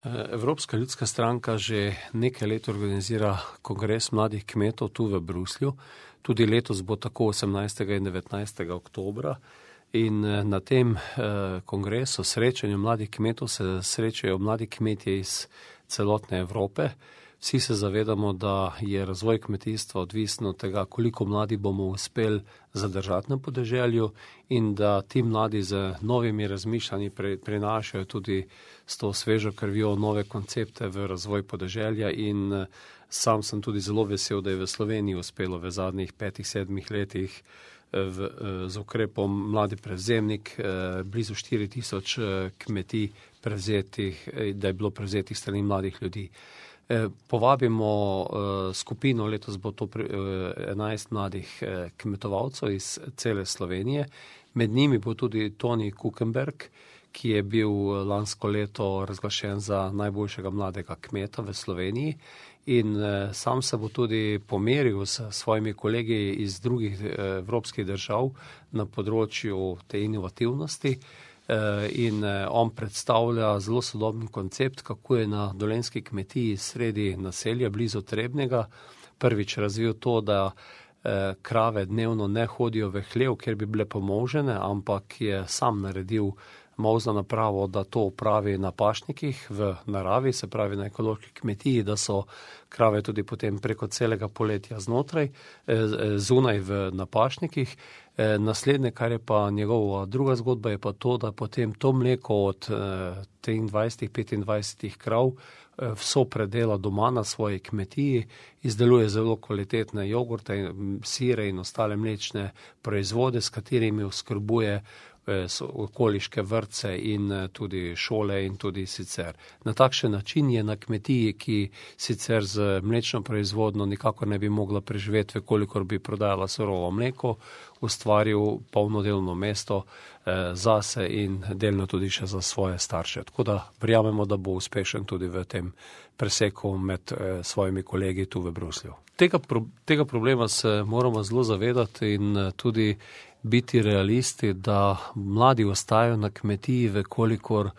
Evropska ljudska stranka že nekaj let organizira kongres mladih kmetov tu v Bruslju. Tudi letos bo tako 18. in 19. oktobra. In na tem kongresu, srečanju mladih kmetov, se srečajo mladi kmetje iz celotne Evrope. Vsi se zavedamo, da je razvoj kmetijstva odvisen od tega, koliko mladi bomo uspeli zadržati na podeželju in da ti mladi z novimi razmišljanji prinašajo tudi s to svežo krvjo nove koncepte v razvoj podeželja in sam sem tudi zelo vesel, da je v Sloveniji uspelo v zadnjih 5-7 letih z ukrepom Mladi prevzemnik blizu 4000 kmetij prevzetih, da je bilo prevzetih strani mladih ljudi. Povabimo skupino, letos bo to 11 mladih kmetovalcev iz cele Slovenije. Med njimi bo tudi Toni Kukenberg, ki je bil lansko leto razglašen za najboljšega mladega kmeta v Sloveniji. In sam se bo tudi pomeril s svojimi kolegi iz drugih evropskih držav na področju te inovativnosti. In on predstavlja zelo sodoben koncept, kako je na dolenjski kmetiji sredi naselja blizu Trebnjega prvič razvil to, da krave dnevno ne hodijo v hlev, kjer bi bile pomolžene, ampak je sam naredil molzno napravo, da to opravi na pašnikih v naravi, se pravi na ekološki kmetiji, da so krave tudi potem preko celega poletja zunaj na pašnikih. Naslednje, kar je pa njegova druga zgodba, je pa to, da potem to mleko od 23-25 krav vso predela doma na svoji kmetiji, izdeluje zelo kvalitetne jogurte, sire in ostale mlečne proizvode, s katerimi oskrbuje okoliške vrtce in tudi šole in tudi sicer. Na takšen način je na kmetiji, ki sicer z mlečno proizvodno nikakor ne bi mogla preživeti, kolikor bi prodajala surovo mleko, ustvaril polno delovno mesto zase in delno tudi še za svoje starše. Tako da verjamemo, da bo uspešen tudi v tem preseku med svojimi kolegi tu v Bruslju. Tega problema se moramo zelo zavedati in tudi biti realisti, da mladi ostajajo na kmetiji, vekolikor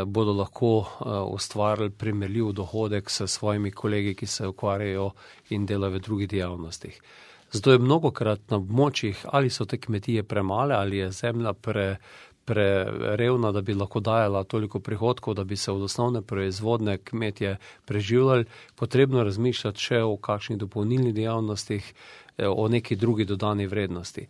bodo lahko ustvarili primerljiv dohodek s svojimi kolegi, ki se ukvarjajo in delajo v drugih dejavnostih. Zato je mnogokrat na območjih, ali so te kmetije premale, ali je zemlja prerevna, da bi lahko dajala toliko prihodkov, da bi se od osnovne proizvodne kmetje preživljali, potrebno razmišljati še o kakšnih dopolnilnih dejavnostih, o neki drugi dodani vrednosti.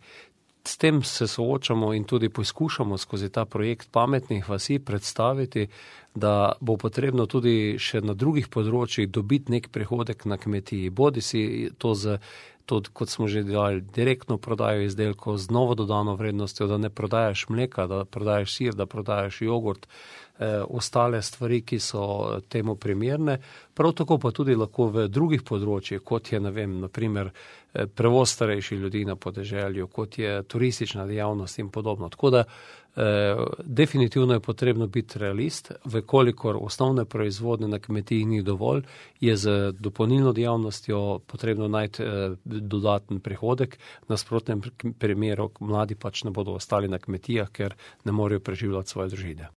S tem se soočamo in tudi poskušamo skozi ta projekt pametnih vasi predstaviti, da bo potrebno tudi še na drugih področjih dobiti nek prihodek na kmetiji. Bodisi to kot smo že dali, direktno prodajo izdelkov z novo dodano vrednostjo, da ne prodajaš mleka, da prodajaš sir, da prodajaš jogurt, ostale stvari, ki so temu primerne. Prav tako pa tudi lahko v drugih področjih, kot je, na primer, prevoz starejših ljudi na podeželju, kot je turistična dejavnost in podobno. Tako da definitivno je potrebno biti realist, vekolikor osnovne proizvodne na kmetiji ni dovolj, je z dopolnilno dejavnostjo potrebno najti dodaten prihodek, v nasprotnem primeru mladi pač ne bodo ostali na kmetijah, ker ne morejo preživljati svoje družine.